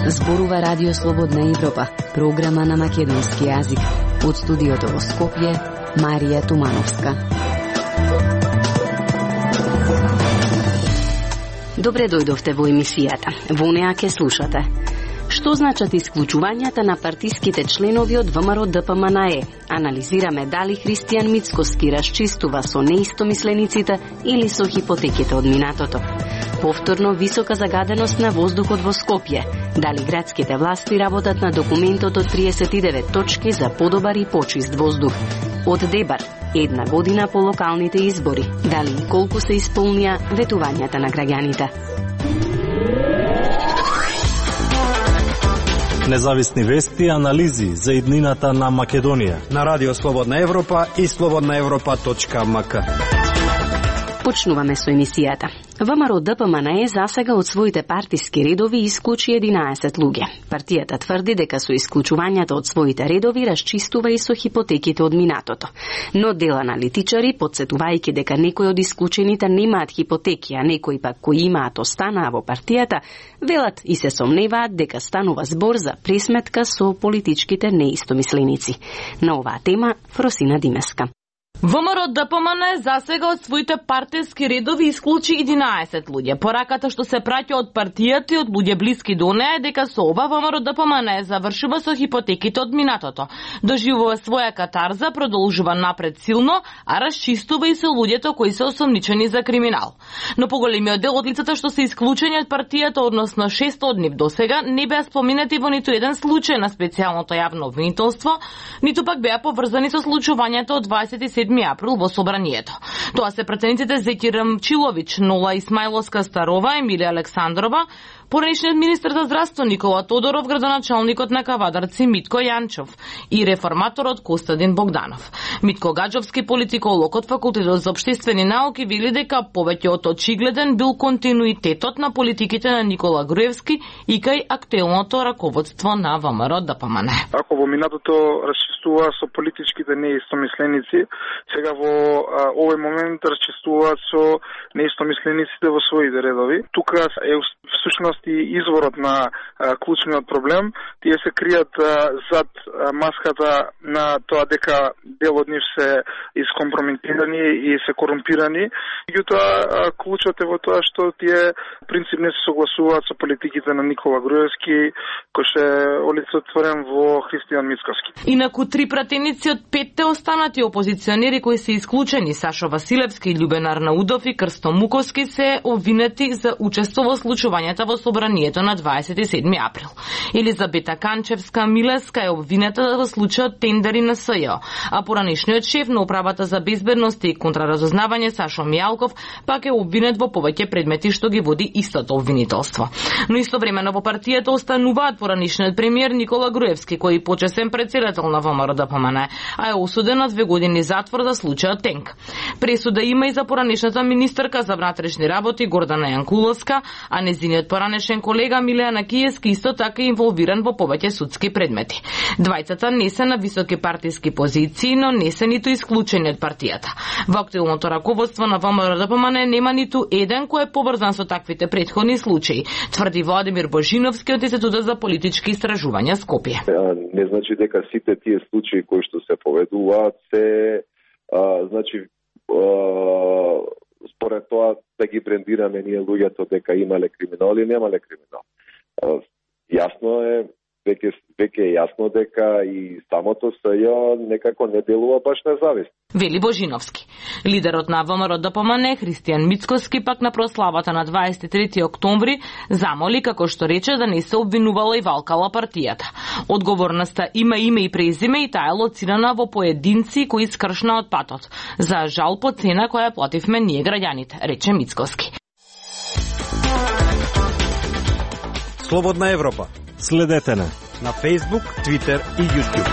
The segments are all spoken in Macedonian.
Зборува Радио Слободна Европа, програма на македонски јазик. Од студиото во Скопје, Марија Тумановска. Добре дојдовте во емисијата. Во неа ке слушате. Што значат исклучувањата на партиските членови од ВМРО ДПМНЕ? Анализираме дали Христијан Мицкоски расчистува со неистомислениците или со хипотеките од минатото. Повторно висока загаденост на воздухот во Скопје. Дали градските власти работат на документот од 39 точки за подобар и почист воздух? Од Дебар, една година по локалните избори. Дали и колку се исполнија ветувањата на граѓаните? Независни вести и анализи за иднината на Македонија на Радио Слободна Европа и slobodnaevropa.mk. Почнуваме со емисијата. ВМРО ДПМНЕ засега од своите партиски редови исклучи 11 луѓе. Партијата тврди дека со исклучувањата од своите редови расчистува и со хипотеките од минатото. Но дел аналитичари, подсетувајќи дека некои од исклучените немаат хипотеки, а некои пак кои имаат останаа во партијата, велат и се сомневаат дека станува збор за пресметка со политичките неистомисленици. На оваа тема Фросина Димеска. ВМРО ДПМНЕ засега од своите партиски редови исклучи 11 луѓе. Пораката што се праќа од партијата и од луѓе блиски до неа е дека со ова ВМРО ДПМНЕ завршува со хипотеките од минатото. Доживува своја катарза, продолжува напред силно, а расчистува и со луѓето кои се осомничени за криминал. Но поголемиот дел од лицата што се исклучени од партијата, односно 6 од нив досега, не беа споменати во ниту еден случај на специјалното јавно обвинителство, ниту пак беа поврзани со случувањето од 27 април во собранието. Тоа се претениците Зеки Рамчилович, Нола Исмајловска Старова, Емилија Александрова, поранишниот министер за здравство Никола Тодоров, градоначалникот на Кавадарци Митко Јанчов и реформаторот Костадин Богданов. Митко Гаджовски, политиколог од Факултетот за општествени науки, вели дека повеќе од очигледен бил континуитетот на политиките на Никола Груевски и кај актуелното раководство на ВМРО ДПМНЕ. Ако во минатото расчистува со политичките неистомисленици, сега во овој момент расчистуваат со неистомислениците во своите редови. Тука е всушност и изворот на клучниот проблем. Тие се кријат зад маската на тоа дека дел од нив се искомпрометирани и се корумпирани. Меѓутоа, клучот е во тоа што тие принцип не се согласуваат со политиките на Никола Груевски, кој ше олицетворен во Христијан Мицкоски. Инаку три пратеници од 5 останати опозиционери кои се исклучени, Сашо Василевски, Љубен Арнаудов и Крсто Муковски, се обвинети за учество во случувањата во собранието на 27 април. Елизабета Канчевска Милеска е обвинета во случајот тендери на СЈО, а поранишниот шеф на управата за безбедност и контраразузнавање Сашо Мијалков пак е обвинет во повеќе предмети што ги води истото обвинителство. Но истовремено во партијата остануваат поранишниот премиер Никола Груевски, кој почесен претседател на ВМРО ДПМНЕ, а е осуден на 2 години затвор за случајот Тенк. Пресуда има и за поранишната министерка за внатрешни работи Гордана Јанкуловска, а незиниот поранешен колега Милејана Киевски исто така е инволвиран во повеќе судски предмети. Двајцата не се на високи партиски позиции, но не се ниту исклучени од партијата. Во актуелното раководство на ВМРО ДПМНЕ нема ниту еден кој е поврзан со таквите претходни случаи, тврди Владимир Божиновски од Институтот за политички истражувања Скопје. Не значи дека сите тие случаи кои што се поведуваат се според тоа да ги брендираме ние луѓето дека имале криминал или немале криминал. Јасно е, веќе е јасно дека и самото СЈО некако не делува баш независно. Вели Божиновски. Лидерот на ВМРО ДПМНЕ Христијан Мицкоски пак на прославата на 23 октомври замоли, како што рече, да не се обвинувала и валкала партијата. Одговорноста има име и презиме и таа е лоцирана во поединци кои скршна од патот. За жал по цена која плативме ние граѓаните, рече Мицкоски. Слободна Европа. Следете на Facebook, Twitter и YouTube.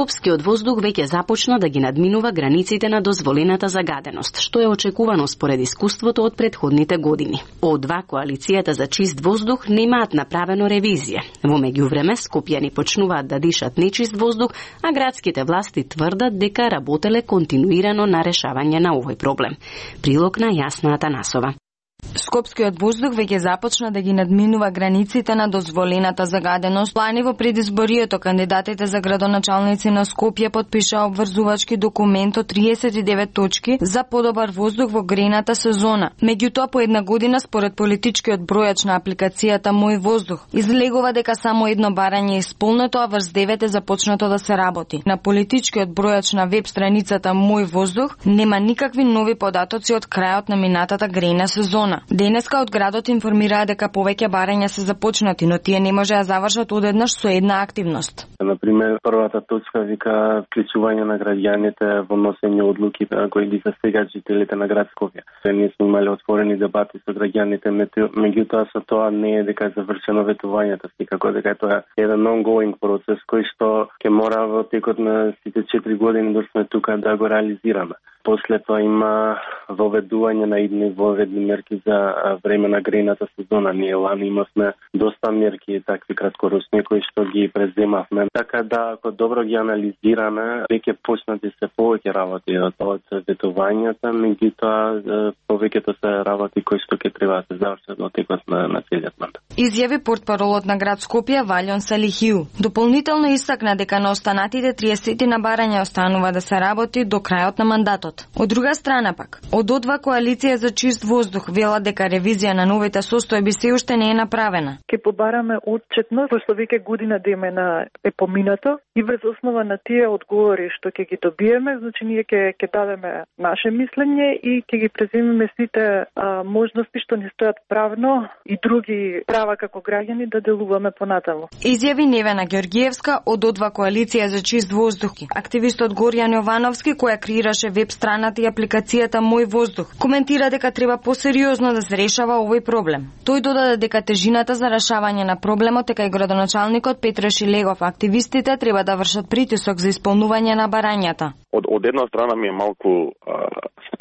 Скопскиот воздух веќе започна да ги надминува границите на дозволената загаденост, што е очекувано според искуството од претходните години. Од2 коалицијата за чист воздух немаат направено ревизија. Во меѓувреме Скопјани почнуваат да дишат нечист воздух, а градските власти тврдат дека работеле континуирано на решавање на овој проблем. Прилог на Јасна Атанасова. Скопскиот воздух веќе започна да ги надминува границите на дозволената загаденост. Лани во предизборието кандидатите за градоначалници на Скопје потпишаа обврзувачки документ од 39 точки за подобар воздух во грејната сезона. Меѓутоа, по една година според политичкиот бројач на апликацијата Мој воздух излегува дека само едно барање е исполнето, а врз 9 е започнато да се работи. На политичкиот бројач на веб страницата Мој воздух нема никакви нови податоци од крајот на минатата грејна сезона. Денеска од градот информираа дека повеќе барања се започнати, но тие не можеа завршат одеднаш со една активност. Например, првата точка вика вклучување на граѓаните во носење одлуки кои ги засегат жителите на град Скопје. Ние сме имали отворени дебати со граѓаните, меѓутоа со тоа не е дека е завршено ветувањето, секако дека тоа е еден ongoing процес кој што ќе мора во текот на сите 4 години да сме тука да го реализираме. После тоа има воведување на идни воведни мерки за време на грејната сезона. Ние лани имавме доста мерки, такви краткорочни кои што ги преземавме. Така да, ако добро ги анализираме, веќе почнати се повеќе работи од ветувањата, меѓутоа повеќето се работи кои што ќе треба да се завршат во текот на целиот мандат. Изјави портпаролот на град Скопје Валјон Салихиу. Дополнително истакна дека на останатите 30 на барања останува да се работи до крајот на мандатот. Од друга страна пак, од одва коалиција за чист воздух вела дека ревизија на новите состојби се уште не е направена. Ке побараме отчетност, пошто веќе година демена е поминато и врз основа на тие одговори што ќе ги добиеме, значи ние ќе дадеме наше мислење и ќе ги преземеме сите можности што ни стојат правно и други права како граѓани да делуваме понатаму. Изјави Невена Ѓоргиевска од одва коалиција за чист воздух. Активистот Горјан Јовановски, која креираше веб страната и апликацијата Мој воздух, коментира дека треба посериозно да се решава овој проблем. Тој додаде дека тежината за решавање на проблемот дека и градоначалникот Петре Шилегов, активистите треба да вршат притисок за исполнување на барањата. Од една страна ми е малку,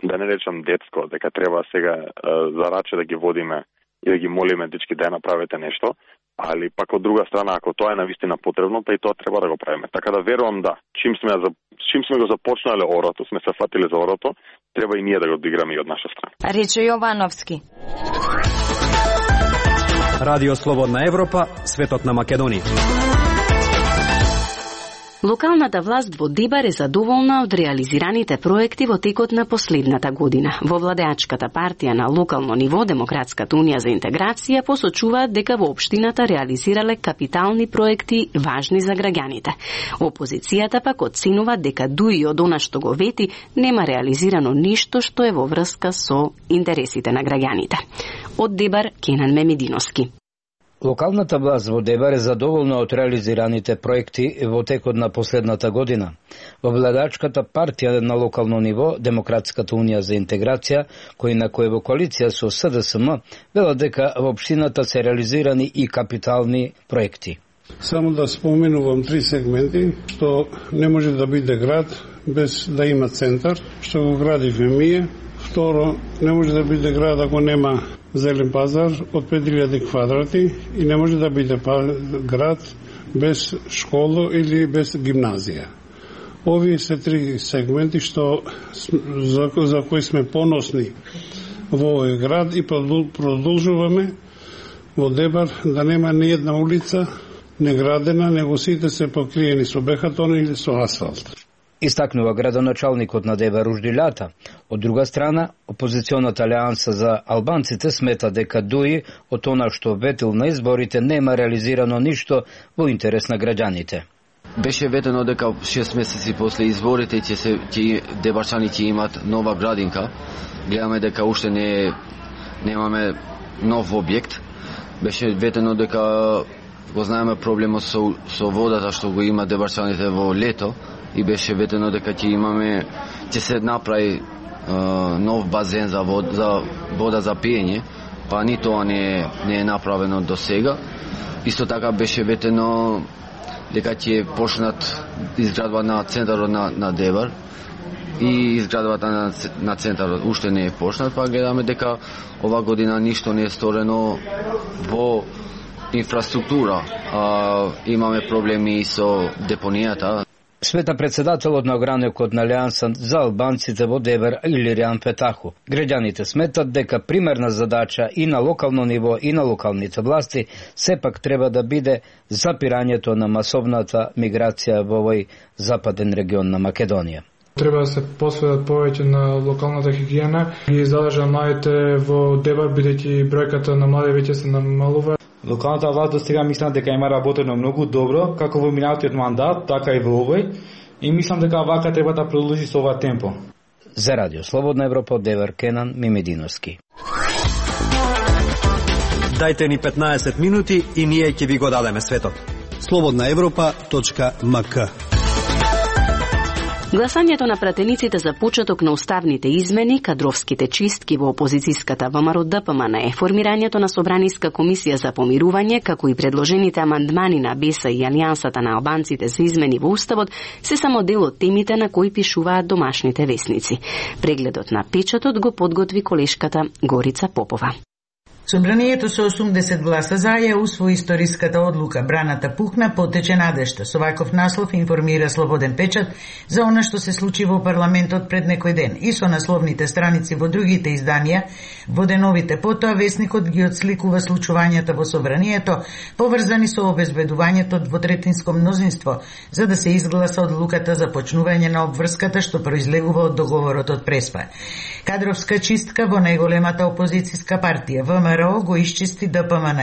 да не речам детско, дека треба сега за раче да ги водиме и да ги молиме дечки да направите нешто, али пак од друга страна, ако тоа е навистина потребно, па и тоа треба да го правиме. Така да верувам да, чим сме го започнале орото, сме се фатиле за орото, треба и ние да го одиграме и од наша страна. Рече Јовановски. Радио Слободна Европа, светот на Македонија. Локалната власт во Дебар е задоволна од реализираните проекти во текот на последната година. Во владеачката партија на локално ниво, Демократската унија за интеграција, посочуваат дека во општината реализирале капитални проекти важни за граѓаните. Опозицијата пак оценува дека дуи од она што го вети, нема реализирано ништо што е во врска со интересите на граѓаните. Од Дебар, Кенан Мемединовски. Локалната власт во Дебар е задоволна од реализираните проекти во текот на последната година. Во владеачката партија на локално ниво, Демократската унија за интеграција, кој е во коалиција со СДСМ, велат дека во општината се реализирани и капитални проекти. Само да споменувам 3 сегменти, што не може да биде град без да има центар, што го градивме ние. Второ, не може да биде град ако нема зелен пазар од 5000 квадрати и не може да биде град без школа или без гимназија. Овие се 3 сегменти што за кои сме поносни во овој град и продолжуваме во Дебар да нема ни една улица неградена, него сите се покриени со бехатон или со асфалт. Истакнува градоначалникот на Дебар Уждилјата. Од друга страна, опозиционата алијанса за албанците смета дека дуи од она што ветил на изборите нема реализирано ништо во интерес на граѓаните. Беше ветено дека 6 месеци после изборите дебарчани ќе имат нова градинка. Гледаме дека уште немаме нов објект. Беше ветено дека го знаеме проблемот со водата што го има дебарчаните во лето и беше ветено дека ќе се направи нов базен за вода за пиење, па ни тоа не е направено до сега. Исто така беше ветено дека ќе почнат изградба на центарот на Дебар и изградбата на центарот уште не е почнат, па гледаме дека ова година ништо не е сторено во инфраструктура. Имаме проблеми со депонијата. Света председателот на огранекот на Алијанса за албанците во Дебар Илиријан Петаху. Граѓаните сметат дека примерна задача и на локално ниво и на локалните власти сепак треба да биде запирањето на масовната миграција во овој западен регион на Македонија. Треба да се посветат повеќе на локалната хигиена и задажа младите во Дебар, бидејќи бројката на млади веќе се намалува. Локалната власт до сега мислам дека има работено многу добро, како во минатиот мандат, така и во овој, и мислам дека вака треба да продолжи со ова темпо. За Радио Слободна Европа од Девар, Кенан Мимединовски. Дајте ни 15 минути и ние ќе ви го дадеме светот. slobodnaevropa.mk. Гласањето на пратениците за почеток на уставните измени, кадровските чистки во опозицијската ВМРО ДПМН, формирањето на Собраниска комисија за помирување, како и предложените амандмани на БЕСА и Алијансата на албанците за измени во уставот, се само дел од темите на кои пишуваат домашните весници. Прегледот на печатот го подготви колешката Горица Попова. Собранието со 80 гласа за ја усвои историската одлука. Браната пукна, потече надежта. Со ваков наслов информира Слободен печат за она што се случи во парламентот пред некој ден. И со насловните страници во другите изданија, во деновите потоа весникот ги отсликува случувањата во Собранието, поврзани со обезбедувањето двотретинско мнозинство, за да се изгласа одлуката за почнување на обврската што произлегува од договорот од Преспа. Кадровска чистка во најголемата опозицијска партија, ВМРО, го исчисти ДПМН.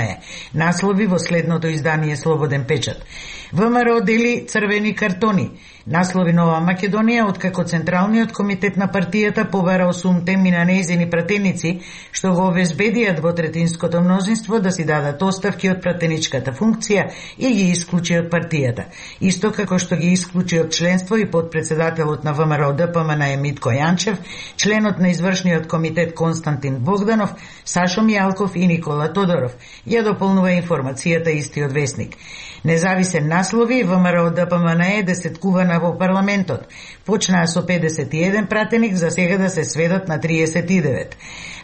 Наслови во следното издание Слободен печат. ВМРО дели црвени картони. Наслови Нова Македонија, откако Централниот комитет на партијата побара 8 теми на нејзини пратеници, што го обезбедија двотретинското мнозинство да си дадат оставки од пратеничката функција и ги исклучи од партијата. Исто како што ги исклучи од членство и подпредседателот на ВМРО ДПМН Митко Јанчев, членот на извршниот комитет Константин Богданов, Сашо Мијалков и Никола Тодоров. Ја дополнува информацијата истиот весник. Независен наслови, ВМРО ДПМН е десеткувана во парламентот. Почнаа со 51 пратеник, за сега да се сведат на 39.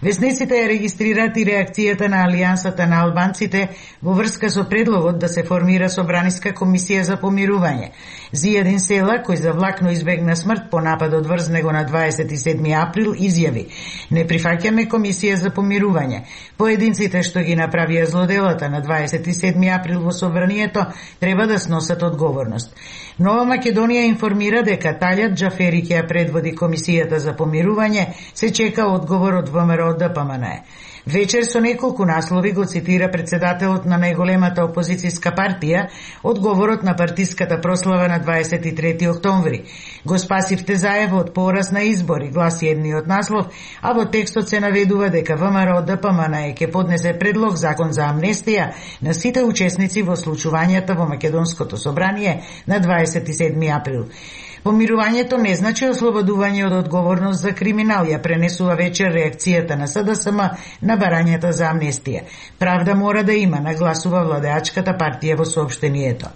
Весниците ја регистрираат и реакцијата на Алијансата на албанците во врска со предлогот да се формира Собраниска комисија за помирување. Зијадин Села, кој завлакно избегна смрт по нападот врз него на 27 април, изјави: "Не прифаќаме комисија за помирување. Поединците што ги направија злоделата на 27 април во Собранието треба да сносат одговорност." Нова Македонија информира дека Талјат Џафери ќе ја предводи комисијата за помирување, се чека одговор од ВМРО ДПМН. Вечер со неколку наслови го цитира председателот на најголемата опозицијска партија одговорот на партиската прослава на 23 октомври. Го спасивте заево од пораз на избори, гласи едниот наслов, а во текстот се наведува дека ВМРО ДПМН ќе поднесе предлог закон за амнестија на сите учесници во случувањата во Македонското собрание на 27 април. Помирувањето не значи ослободување од одговорност за криминал, ја пренесува вечер реакцијата на СДСМ на барањата за амнестија. Правда мора да има, нагласува владеачката партија во соопштението.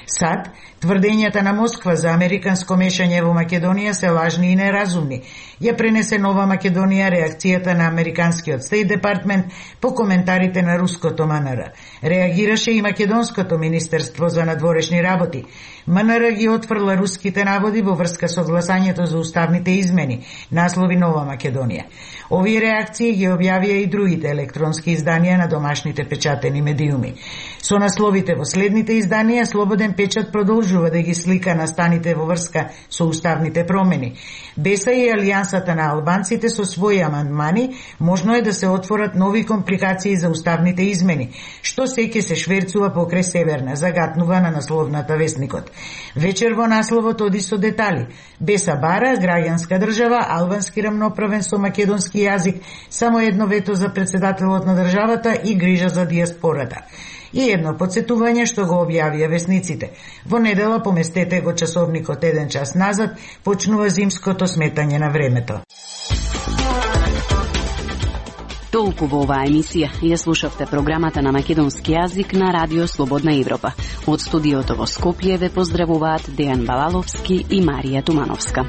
САД, тврдењата на Москва за американско мешање во Македонија се лажни и неразумни. Ја пренесе Нова Македонија реакцијата на американскиот Стейт Департмент по коментарите на руското МНР. Реагираше и Македонското министерство за надворешни работи. МНР ги отфрла руските наводи во врска со гласањето за уставните измени, наслови Нова Македонија. Овие реакции ги објавија и другите електронски изданија на домашните печатени медиуми. Со насловите во следните изданија, Слободен печат продолжува да ги слика настаните во врска со уставните промени. БЕСА и Алијансата на албанците со своји амандмани можно е да се отворат нови компликации за уставните измени, што се ќе се шверцува покрај Северна, загатнува на насловната вестникот. Вечер во насловот оди со детали. БЕСА бара граѓанска држава, албански рамноправен со македонски јазик, само едно вето за председателот на државата и грижа за диаспората. И едно подсетување што го објавија весниците. Во недела, поместете го часовникот 1 час назад, почнува зимското сметање на времето. Толку во оваа емисија. Ја слушавте програмата на македонски јазик на Радио Слободна Европа. Од студиото во Скопје ве поздравуваат Дејан Балаловски и Марија Тумановска.